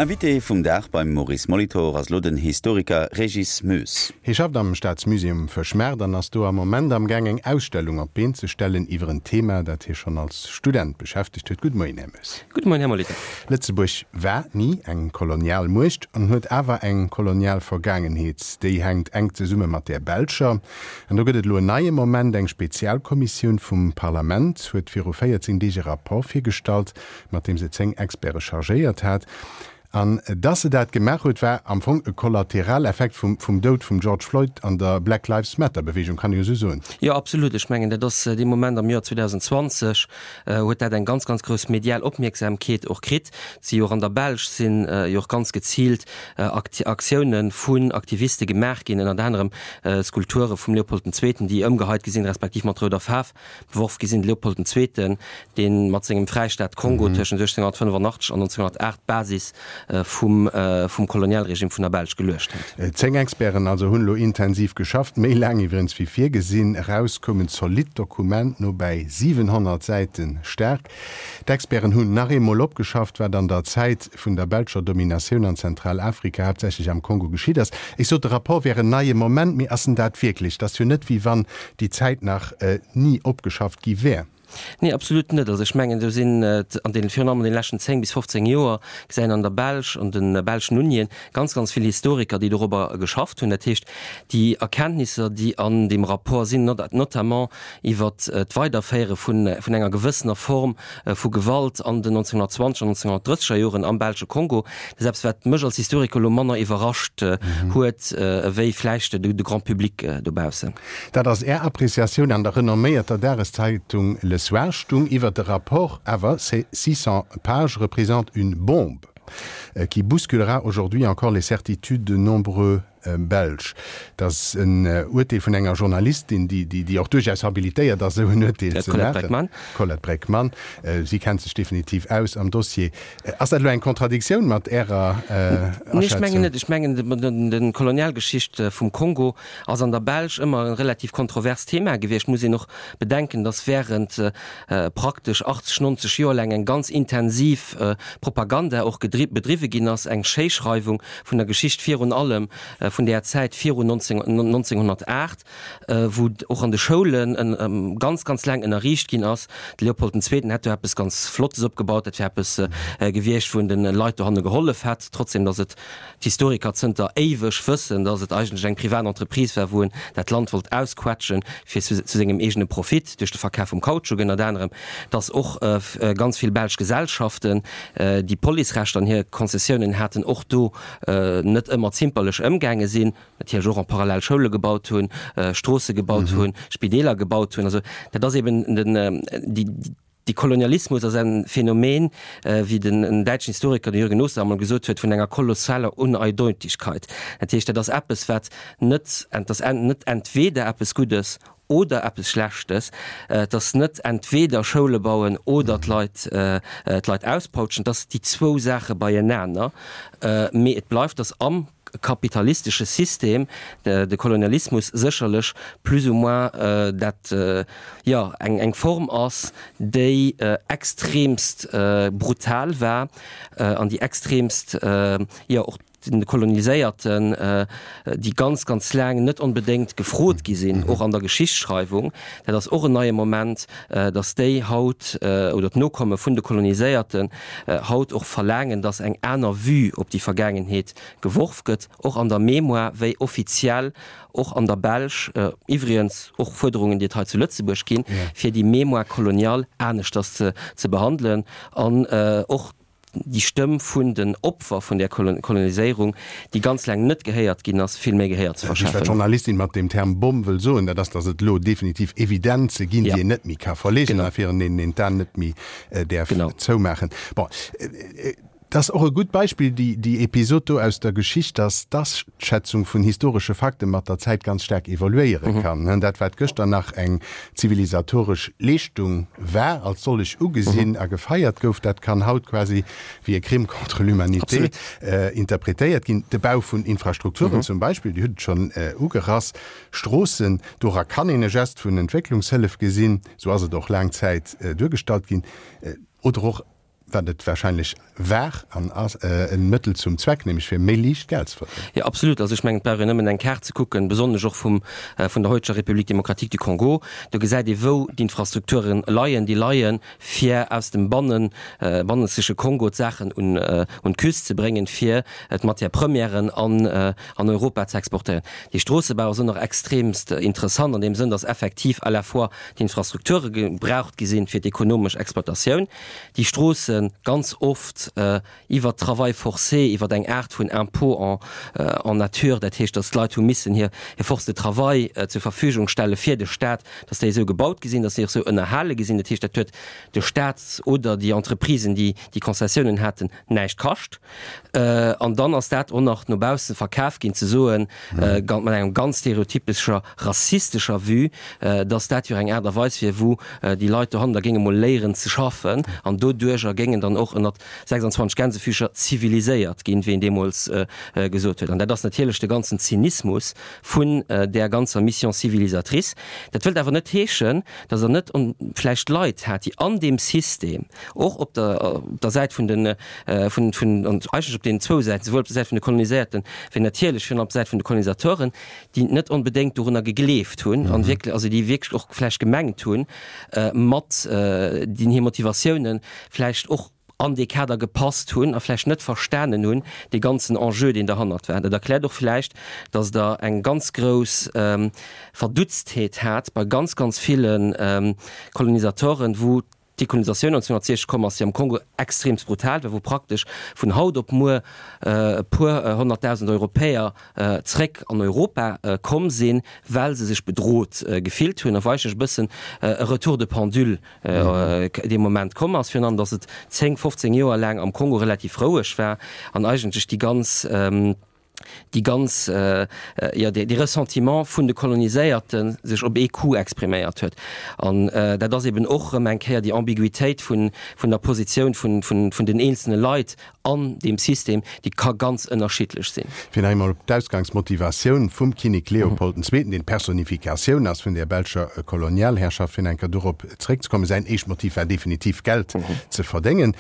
Invité vum Dag beim Maurice Molitor ass lo den Historiker Régis Moes. Hie schafft am Staatsmusée um Fëschmaart an ass do am Moment am Gaang eng Ausstellung op d'Been ze stellen iwwer en Thema, dat hie schonn als Student beschäftegt huet. Gudde Moien, Här Moes. Gudde Moien, Här Molitor. Lëtzebuerg war ni eng kolonial Muecht an huet awer eng kolonial Vergaangenheet. Déi hänkt enk zesumme mat där belscher. An do gëtt et elo en neie Moment, Eng Spezialkommissioun vum Parlament huet viru 14 Deeg e Rapport virgestallt, mat deem se 10 Experte chargéiert hat. An dass se dat gemaach huet, war am Fong e Kollateraleffekt vum vum Doud vum George Floyd an der Black Lives Matter Beweegung, kann ee jo esou soen. Jo, absolut. Ech mengen, dat ass dee Moment am Joer 2020 huet dat eng ganz, ganz grouss medial Opmierksamkeet och kritt. Si jo och an der Belsch sinn jo och ganz geziilt Aktioune vun Aktiviste gemaach ginn, ënnert anerem Skulpture vum Leopold den Zweeten, déi ëmgeheit gi sinn, respektiv mat rouder Faarf beworf gi sinn. De Leopold den Zweeten, dee mat sengem Fräistaat Kongo tëschent 1885 an 1908 d'Basis vum vum Kolonialregime vun der Belsch geluecht hat. 10 Experten also hunn elo intensiv geschafft, méi laang iwwregens wéi virgesinn. Eraus koum en zolidd Dokument, no bäi 700 Säite staark. D'Experten hunn nach eemol opgeschafft, wat an der Zäit vun der belscher Dominatioun an Zentralafrika, haaptsächlech am Kongo, geschitt ass. Ech sot, de Rapport wär en neie Moment, mee ass en dat wierklech? Et ass jo net, wéi wann déi Zäit nach ni opgeschafft gi wär. Nee, absolut net. Also ech mengen, do sinn an deenen, virun allem an deene leschten 10 bis 15 Joer, gesäit een an der Belsch, an de belschen Unien ganz, ganz vill Historiker, déi dorobber geschafft hunn. Dat heescht, déi Erkenntnisser, déi an deem Rapport sinn, notamment iwwert d'Weiderféiere vun enger gewëssener Form vu Gewalt an den 1920 an 1930er Joren am belsche Kongo, dat ass eppes, wat mech als Historiker elo manner iwwerrascht huet ewéi vläicht de Grand public dobaussen. Dat ass Är Appréciatioun. An der renomméierter Dageszeitung Le Soir stung iwwer de Rapport awer, Ces 600 pages représentent une bombe qui bousculera aujourd'hui encore les certitudes de nombreux Belges. Dat ass en Urteel vun enger Journalistin, déi och duerchaus habilitéiert ass, esou en Urteel ze maachen. Colette Braeckman. Si kennt sech definitiv aus am Dossier. Ass dat elo eng Kontradiktioun mat Ärer Aschätzung? Nee, ech mengen net. Ech mengen, de Kolonialgeschicht vum Kongo ass an der Belsch ëmmer e relativ kontroverst Thema gewiescht. Muss een och bedenken, datt während praktesch 80, 90 Joer laang eng ganz intensiv Propaganda och bedriwwe ginn ass, eng Schéischreiwung vun der Geschicht, virun allem vun där Zäit virun 1908, wou och an de Schoule ganz, ganz laang ënnerriicht ginn ass. De Leopold den Zweeten hätt do eppes ganz Flottes opgebaut, dat wär eppes gewiescht, wou en de Leit dohanne gehollef hätt, trotzdem datt et d'Historiker zënter éiweg wëssen, datt et eigentlech eng privat Entreprise war, wou en dat Land wollt ausquetschen, fir zu sengem eegene Profit, duerch de Verkaf vum Kautschuk ënnert anerem, datt och ganz vill belsch Gesellschaften, déi Policerechter an hir Konzessiounen haten, och do net ëmmer zimperlech ëmgaange sinn, natierlech och en parallel Schoule gebaut hunn, Stroosse gebaut hunn, Spideeler gebaut hunn. Also dat ass eben den, déi. De Kolonialismus ass en Phänomen, wéi den däitschen Historiker, de Jürgen Oster, emol gesot huet, vun enger kolossaler Uneideutigkeit. Dat heescht, dat ass eppes, wat net, et ass net entweder eppes Guddes oder eppes Schlechtes. Et ass net entweder Schoule bauen oder d'Leit, d'Leit auspautschen. Et ass déi zwou Saache beienaner. Mee et bleift, dass am kapitalistesche System de Kolonialismus sécherlech plus ou moins dat, jo, eng eng Form ass, déi extremst brutal war an déi extremst, jo, och de Koloniséierten, déi ganz, ganz laang net onbedéngt gefrot gi sinn, och an der Geschichtsschreiwung. Dat ass och en neie Moment, datt déi haut, oder d'Nokomme vun de Koloniséierten haut och verlaangen, datt eng aner Vue op déi Vergaangenheet geworf gëtt, och an der Mémoire, wéi offiziell och an der Belsch, iwwrigens och Fuerderungen, déi et hei zu Lëtzebuerg ginn, fir déi Mémoire coloniale aneschters ze behandelen an och déi Stëmm vun den Opfer vun där Koloniséierung, déi ganz laang net gehéiert ginn ass, vill méi Gehéier ze Dat heescht, wat verschafen. d'Journalistin mat deem Term Bomm wëll soen, dat ass, datt et elo definitiv Evidenze ginn, déi een net méi ka verleegnen a virun deenen een d'Aen net méi däerf zoumaachen. Bon, et ass och e gutt Beispill, déi, déi Episod do aus der Geschicht, datt d'Aschätzung vun historesche Fakte mat der Zäit ganz staark evoluéiere kann. Dat, wat gëschter nach eng zivilisatoresch Leeschtung war, als sollech ugesinn a gefeiert gouf, dat kann haut quasi wéi e Crime contre l'humanité interpretéiert ginn. De Bau vun Infrastrukturen zum Beispill, Dir hutt et schonn ugerass, Stroossen, dora kann een e Gest vun Entwécklungshëllef gesinn, esou ass et och laang Zäit duergestallt ginn, oder och. Wat et wahrscheinlech war an ass, e Mëttel zum Zweck, nämlech fir méi liicht Geld ze verdéngen. Jo, absolut. Also ech mengen, et brauch een nëmmen eng Kaart ze kucken, besonnesch och vum, vun der heuteger République démocratique du Congo. Do gesäit ee wou d'Infrastrukturen leien. Déi leien, fir aus dem bannen, bannenzege Kongo d'Saachen un, un d'Küst ze bréngen, fir d'Matières premièren an, an Europa ze exportéieren. Dee Stroossebau ass och nach extremst interessant an deem Sënn, dass effektiv à la fois d'Infrastrukture gebraucht gi sinn fir d'ekonomesch Exploitatioun, déi Stroosse ganz oft iwwer Travail forcé, iwwer eng Aart vun Impôt en en nature, dat heescht, datt d'Leit hu missen hir hir Force de travail zur Verfügung stelle fir de Staat, datt déi esou gebaut gi sinn, datt déi och esou ënnerhale gi sinn. Dat heescht, dat huet de Staat oder déi Entreprisen, déi déi Concessiounen haten, näischt kascht. An dann ass dat och nach no bausse verkaf ginn, ze soen, mat engem ganz stereotypescher rassistescher Vue, dass dat jo eng Aart a Weis wier, wou déi Leit dohannen da géinge mol léieren ze schaffen an doduerjer géingen dann och ënnert 26 Gänsefüßcher ziviliséiert ginn, wéi een deemools gesot huet. An dat ass natierlech de ganzen Zynismus vun där ganzer Mission civilisatrice. Dat wëllt awer net heeschen, dass Der net vläicht Leit hat, déi an deem System, och op der op der Säit vun den, vun, vun, an eigentlech op deenen zwou Säiten, souwuel op der Säit vun de Koloniséierten, wéi natierlech virun allem op der Säit vun de Kolonisateuren, déi net onbedéngt dorunner gegleeft hunn an wierklech, also déi wierklech och vläicht gemengt hunn, mat deenen hir Motivatiounen vläicht och an dee Kader gepasst hunn a vläicht net verstanen hunn, dee ganzen Enjeu, deen derhannert war. Dat erkläert och vläicht, datt Der eng ganz grouss Verdutztheet hat bei ganz, ganz ville Kolonisatoren, wou D'Dekolonisatioun 1960 komm ass, déi am Kongo extreemst brutal war, wou praktesch vun haut op muer e puer honnertdausend Europäer zréck an Europa komm sinn, well se sech bedrot gefillt hunn a wou eigentlech e bëssen e Retour de pendule dee Moment komm ass, virun allem datt et 10, 15 Joer laang am Kongo relativ roueg war an eigentlech déi ganz. déi ganz, jo, dee Ressentiment vun de Koloniséierte sech op ee Coup expriméiert huet. An dat ass eben och erëm eng Kéier déi Ambiguitéit vun der Positioun vun den eenzelne Leit an deem System, déi ka ganz ënnerschiddlech sinn. Fir nach eemol op d'Ausgangsmotivatioun vum Kinnek Leopold den Zweeten, deen d'Personifikatioun ass vun där belscher Kolonialherrschaft, fir nach eng Kéier dorop zeréckzekommen, Säin éischt Motiv war definitiv Geld ze verdéngen.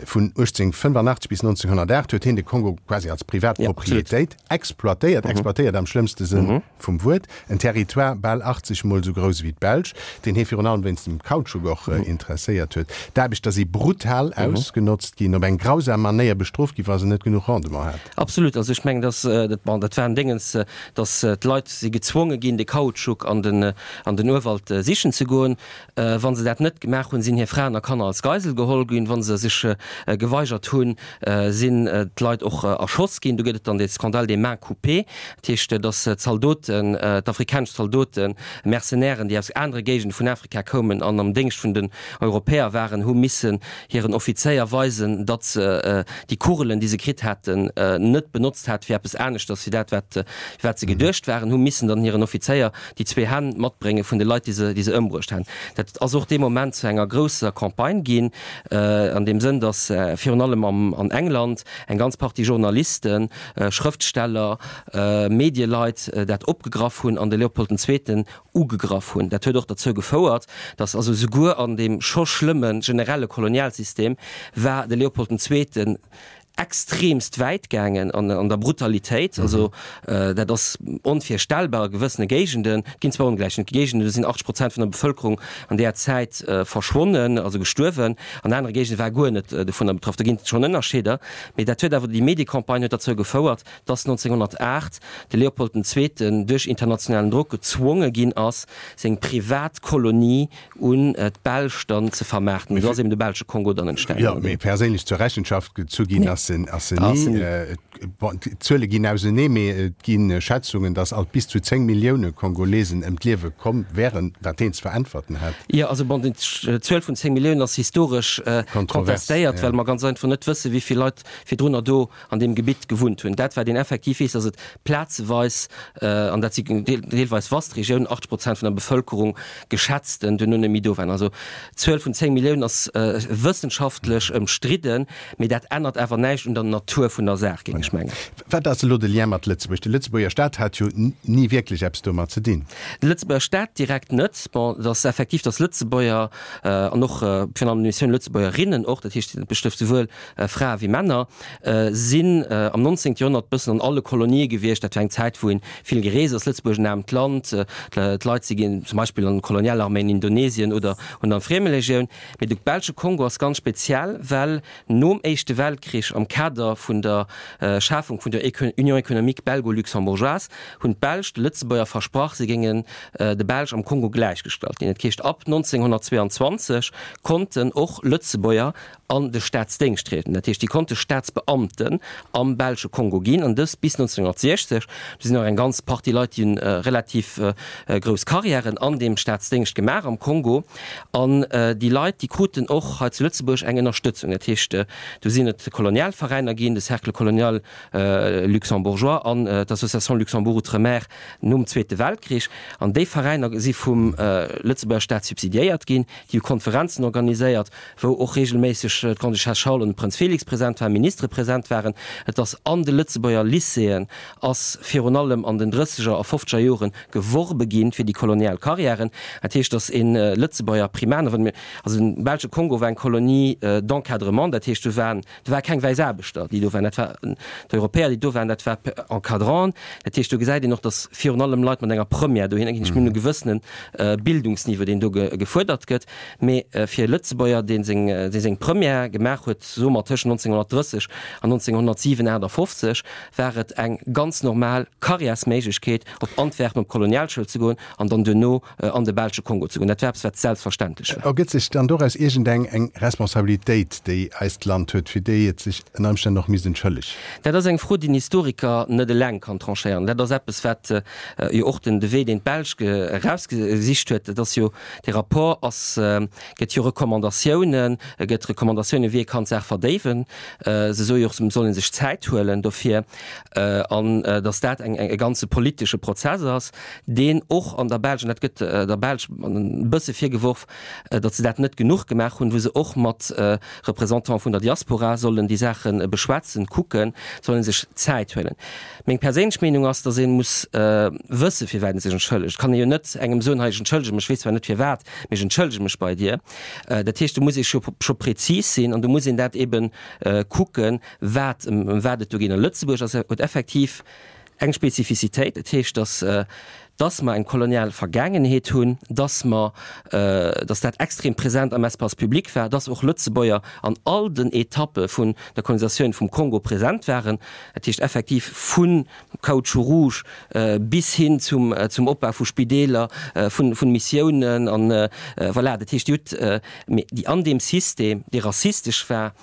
Vun 1885 bis 1908 huet hien de Kongo quasi als privat Proprietéit exploitéiert, exploitéiert am schlëmmste Sënn vum Wuert, en Territoire bal 80 mol esou grouss ewéi d'Belsch, deen hie virun allem wéinst dem Kautschuk och interesséiert huet. D'Aarbechter si brutal ausgenotzt ginn, op eng grausam Manéier bestrooft ginn, wa se net genuch Rendement haten. Absolut, also ech mengen, dass dat, bon, dat war en Déngens, dass d'Leit si gezwonge ginn, de Kautschuk an den an den Urwald sichen ze goen. Wa se dat net gemaach hunn, sinn hir Fraen a Kanner als Geisel geholl ginn. Wa se sech geweigert hunn, sinn d'Leit och erschoss ginn. Do gëtt et dann de Scandale des mains coupées, dat heescht, datt d'Zaldoten, d'afrikanesch Zaldoten, Mercenairen, déi aus anere Géigende vun Afrika koumen an am Déngscht vun den Europäer waren, hu missen hiren Offizéier weisen, datt se déi Kugelen, déi se kritt haten, net benotzt hat fir eppes aneschters wéi dat, wat wat se geduecht waren, hu missen dann hiren Offizéier déi zwee Hänn matbrénge vun de Leit, déi se, déi se ëmbruecht haten. Dat ass och dee Moment zu enger grousser Campagne ginn, an deem Sënn, datt virun allem am, an England eng ganz Partie Journalisten, Schrëftsteller, Medieleit dat opgegraff hunn an de Leopold den Zweeten ugegraff hunn. Dat huet och derzou gefouert, datt also souguer an deem scho schlëmme generelle Kolonialsystem war de Leopold den Zweeten extremst wäit gaangen an an der Brutalitéit. Also dat ass onvirstellbar a gewëssene Géigenden. Et ginn zwar Ongläichheeten, et gi Géigenden, do sinn 80 Prozent vun der Bevëlkerung an där Zäit verschwonnen, also gestuerwen. An anere Géigende war guer net dovunner betraff. Do ginn et schonn Ënnerscheeder. Mee dat huet awer, déi Mediecampagne huet derzou gefouert, dass 1908 de Leopold den Zweeten duerch internationalen Drock gezwonge ginn ass, seng privat Kolonie un d'Belsch dann ze vermaarten. Esou ass eben de belsche Kongo dann entstanen. Jo, mee perséinlech zur Rechenschaft gezu ginn ass en ass en ni. Bon, d'Zuele ginn ausenee, mee et gi Schätzungen, dass alt bis zu 10 Millioune Kongolesen ëm d'Liewe komm wären, wat deen ze veräntwerten hätt. Jo, also bon, d'Zuel vun 10 Milliounen ass historesch kontestéiert, well mer ganz einfach net wëssen, wéi vill Leit virdrunner do an deem Gebitt gewunnt hunn. Dat wat een effektiv weess, ass et plazeweis, an dat si deelweis vast Regiounen, 80 Prozent vun der Bevëlkerung geschätzten duerno net méi do waren. Also d'Zuel vun 10 Milliounen ass wëssenschaftlech ëmstridden, mee dat ännert awer näischt. näischt un der Natur vun der Saach, géing ech mengen. Wat ass elo de Lien mat Lëtzebuerg? De Lëtzebuerger Staat hat jo ni wierklech eppes domat ze dinn. De Lëtzebuerger Staat direkt net. Bon, et ass effektiv, datt Lëtzebuerger an och virun allem d'Missioun Lëtzebuergerinnen och, dat heescht, et betrëfft souwuel Frae wéi Männer, sinn am 19. Joerhonnert bëssen an alle Kolonië gewiescht. Dat war eng Zäit, wou een vill gereest ass. Lëtzebuerg en aarmt Land, d'Leit si ginn zum Beispill an d'Kolonialarméi in Indonesien oder un der Friemelegioun. Mee de belsche Kongo ass ganz speziell, well nom Éischte Weltkrich am Kader vun der Schafung vun der Union économique belgo-luxembourgeoise hunn d'Belsch de Lëtzebuerger versprach, si géingen de Belsch am Kongo gläichgestallt ginn. Dat heescht, ab 1922 konnten och Lëtzebuerger an de Staatsdéngscht trieden. Dat heescht, déi konnte Staatsbeamten am belsche Kongo ginn, an dëst bis 1960. Do sinn och eng ganz Partie Leit, déi hunn relativ grouss Karriären an deem Staatsdéngscht gemaach am Kongo. An déi Leit, déi kruten och hei zu Lëtzebuerg eng Ënnerstëtzung. Dat heescht, do sinn et Kolonialveräiner ginn, de Cercle colonial luxembourgeois an d'Association Luxembourg Outre-mer nom Zweete Weltkrich. An déi Veräiner si vum Lëtzebuerger Staat subsidiéiert ginn. Déi hu Konferenzen organiséiert, wou och regelméisseg d'Grande-Duchesse Charles an de Prënz Félix present waren, Ministere present waren. Et ass an de Lëtzebuerger Lycéeën ass virun allem an den drësseger a fofzeger Jore geworbe ginn fir déi kolonial Karriären. Dat heescht, datt e Lëtzebuerger Primaner, also de belsche Kongo war eng Colonie d'encadrement, dat heescht do waren Do ware keng wäiss Aarbechter, déi do waren, dat waren d'Europäer, déi do waren, dat war Encadranten. Dat heescht, do gesäit een och, datt virun allem Leit mat enger Première dohinner ginn. Ech mengen, e gewëssene Bildungsniveau, deen do gefuerdert gëtt. Mee fir e Lëtzebuerger, dee seng, dee seng Première gemaach huet, soe mer tëschent 1930 an 1957, war et eng ganz normal Karriärsméiglechkeet, op Antwerpen op d'Kolonialschoul ze goen an dann duerno an de belsche Kongo ze goen. Dat war eppes, wat selbstverständlech war. Ergëtt sech dann doraus iergendeng eng Responsabilitéit, déi eist Land huet, fir déi et sech ënner Ëmstänn och misst entschëllegen? Dat ass eng Fro, déi en Historiker net eleng kann tranchéieren. Dat ass eppes, wat jo och den de Wee, deen d'Belsch erausgesicht huet, dat ass jo, dee Rapport ass, gëtt jo Recommandatiounen, e gëtt Recommandatiounen, wéi ee kann d'Saach verdéiwen. Se soe jo och, et soll ee sech Zäit huelen dofir an datt dat eng e ganze politesche Prozess ass. deen och an der Belsch, an dat gëtt der Belsch e bësse virgeworf, datt se dat net genuch gemaach hunn, wou se och mat Représentante vun der Diaspora sollen déi Saache beschwätzen, kucken, solle sech Zäit huelen. Meng perséinlech Meenung ass, datt ee muss wësse firwat ee sech entschëllegt. Et kann ee jo net engem soen, hei ech entschëllege mech, ech weess zwar net firwat, mee ech entschëllege mech bei dir. Dat heescht, do muss ee scho scho prezis sinn an do muss een dat eebe kucken, wat ëm wat et do geet. A Lëtzebuerg ass huet effektiv Eng Spezifizitéit, dat heescht, dass, dass mer eng kolonial Vergaangenheet hunn, dass mer, dass dat extrem present am Espace public war, dass och Lëtzebuerger an all den Etappe vun der Kolonisatioun vum Kongo present waren, dat heescht effektiv vu Caoutchouc rouge bis hin zum, zum Opbau vu Spideeler, vun, vun Missiounen an voilà. Dat heescht, déi hutt, mee déi an deem System, dee rassistesch war,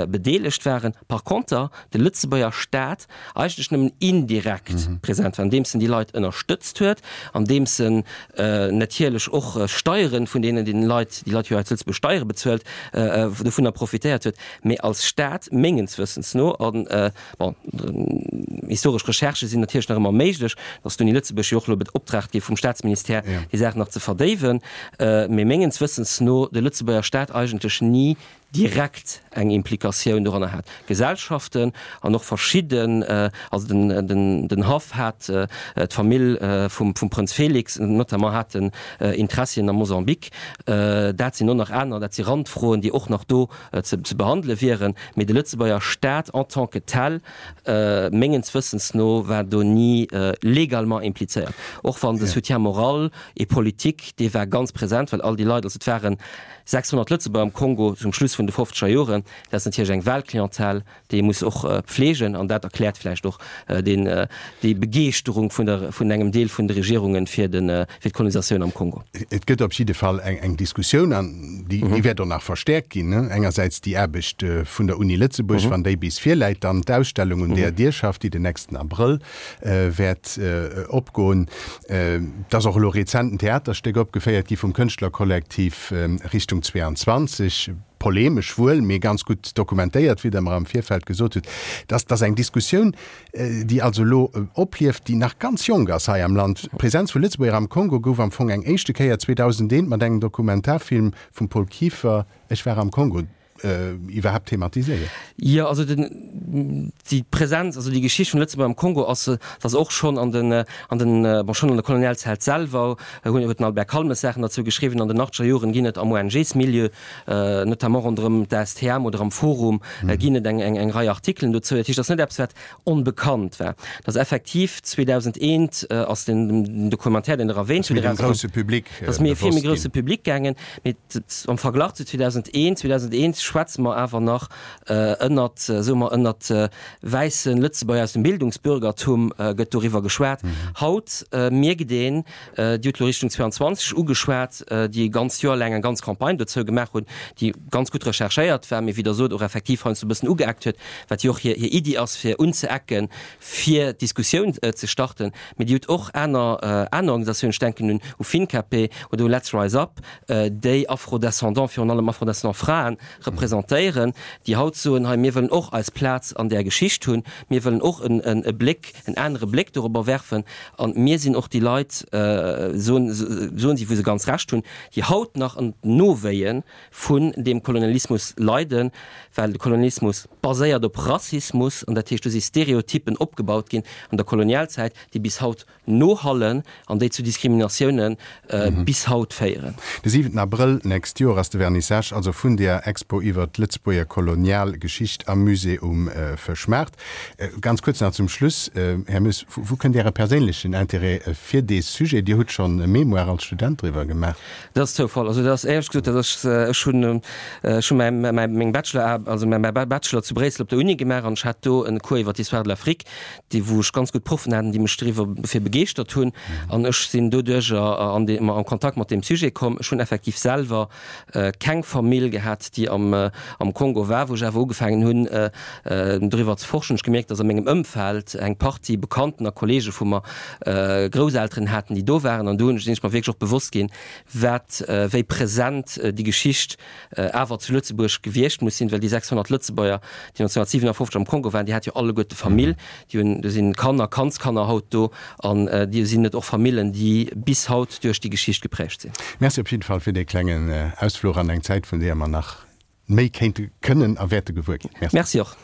bedeelegt waren. Par conter de Lëtzebuerger Staat eigentlech nëmmen indirekt present war, andeems en déi Leit ënnerstëtzt huet, andeems en natierlech och Steieren, vun deenen déi Leit, déi Leit hu jo hei zu Lëtzebuerg Steiere bezuelt, dovunner profitéiert huet. Mee als Staat, mengens Wëssens no, an bon, historesch Recherchë sinn natierlech nach ëmmer méiglech, datt d'Uni Lëtzebuerg jo och elo beoptraagt gi vum Staatsministère, déi Saach nach ze verdéiwen, mee mengens Wëssens no de Lëtzebuerger Staat eigentlech ni direkt eng Implikatioun doranner hat. Gesellschaften an och verschidden, also den den Haff hat d'Famill vum vum Prënz Félix notamment haten Interessien am Mosambik. Dat sinn och nach aner, dat si Randfroen, déi och nach do ze ze behandele wieren. Mee de Lëtzebuerger Staat en tant que tel, mengens Wëssens no, war do ni légalement implizéiert. Och wann de Soutien moral et politique, dee war ganz present, well all déi Leit, also et waren 600 Lëtzebuerger am Kongo zum Schluss vun de fofzeger Joren, dat ass natierlech eng Wahlclientèle, déi ee muss och pflegen an dat erkläert vläicht och deen, déi Begeeschterung vun der, vun engem Deel vun de Regierungen fir de, fir d'Kolonisatioun am Kongo. Et gëtt op jidde Fall eng, eng Diskussioun an déi, déi wäert och nach verstäerkt ginn. Engersäits déi Aarbecht vun der Uni Lëtzebuerg, wann déi bis virläit, dann d'Ausstellung, un där Dir schafft, déi den nächsten Abrëll wäert opgoen. Et ass och elo rezent en Theaterstéck opgeféiert gi vum Kënschtlerkollektiv Richtung 22, polemesch wuel, mee ganz gutt dokumentéiert, wéi Der mer am Virfeld gesot hutt. Dat ass eng Diskussioun, déi also elo oplieft, déi nach ganz jonk ass hei am Land. D'Presenz vu Lëtzebuerger am Kongo gouf am Fong eng éischte Kéier 2001 mat engem Dokumentarfilm vum Paul Kieffer, Ech war am Kongo, iwwerhaapt thematiséiert. Jo, also den. déi Präsenz, also déi Geschicht vun Lëtzebuerg am Kongo ass, ass och schonn an den, an den, bon, schonn an der Kolonialzäit selwer hunn, huet den Albert Calmes Saachen derzou geschriwwen. An den achtzeger Joren ginn et am ONGs-Milieu, notamment ronderëm d'ASTM oder am Forum, ginn et eng, eng, eng Rei Artikelen dozou. Dat heescht, dat ass net eppes, wat onbekannt war. Dat ass effektiv 2001 ass den Documentaire, deen Der erwähnt hutt, erauskomm. Dat ass méi fir méi grousse Public gaangen. Mee am Verglach zu 2001, 2001 schwätze mer awer nach ënnert, soe mer, ënnert wäisse Lëtzebuerger aus dem Bildungsbürgertum gëtt doriwwer geschwat. Haut mierkt een, Dir hutt elo Richtung 22 ugeschwat, déi e ganzt Joer laang eng ganz Campagne dozou gemaach hunn, déi ganz gutt recherchéiert war, mee wéi Der sot, och effektiv heiansdo e bëssen ugeeckt huet, wat jo och hir Iddi ass, fir unzeecken, fir d'Diskussioun ze starten. Mee Dir hutt och aner aner Organisatiounen, ech denken un u FINCAPE oder u Let's Rise Up, déi Afro-Descendants, virun allem Afro-Descendant Fraen representéieren, déi haut soen, hei mir wëllen och eis Plaz an där Geschicht hunn, mir wëllen och e Bléck, en anere Bléck dorobber werfen an mir sinn och déi Leit, soen soen si, wou se ganz Recht hunn, déi haut nach an den Nowéie vun deem Kolonialismus leiden, well de Kolonialismus baséiert op Rassismus an dat heescht, do si Stereotypen opgebaut ginn an der Kolonialzäit, déi bis haut nohallen an déi zu Diskriminatioune bis haut féieren. De siwenten Abrëll nächst Joer ass de Vernissage also vun der Expo iwwer d'Lëtzebuerger Kolonialgeschicht am Musée um Fëschmaart. Ganz kuerz nach zum Schluss, Här Moes, wou kënnt Äre perséinlechen Interêt fir dee Sujet? Dir hutt schonn e Mémoire als Student driwwer gemaach. Dat ass Zoufall. Also dat ass éierlech gesot, dat ass, ech hunn, ech hu mäi, mäi, meng Bachelor, also mäi Bachelor zu Bréissel op der Uni gemaach an ech hat do e Cours iwwer d'Histoire de l'Afrique. déi wou ech ganz gutt Proffen haten, déi mech doriwwer dofir begeeschtert hunn an ech sinn doduercher an de an Kontakt mat deem Sujet komm. Ech hunn effektiv selwer keng Famill gehat, déi am am Kongo war, wou ech awer ugefaangen hunn doriwwer ze forschen. Ech gemierkt, dass a mengem Ëmfeld eng Partie Bekannten a Kollege vu mer Grousselteren haten, déi do waren an do hunn ech sinn ech mer wierklech och bewosst ginn, wat wéi present déi Geschicht awer zu Lëtzebuerg gewiescht muss sinn, well déi 600 Lëtzebuerger, déi 1957 am Kongo waren, déi hate jo alleguerte Famill, déi hunn, do sinn Kanner, Kandskanner haut do an déi sinn net och Famillen, déi bis haut duerch déi Geschicht geprägt sinn. Merci op jidde Fall fir dee klengen Ausfluch an eng Zäit, vun deeër mer nach méi kéinte kënnen a wäerte gewuer ginn. Merci. Merci och.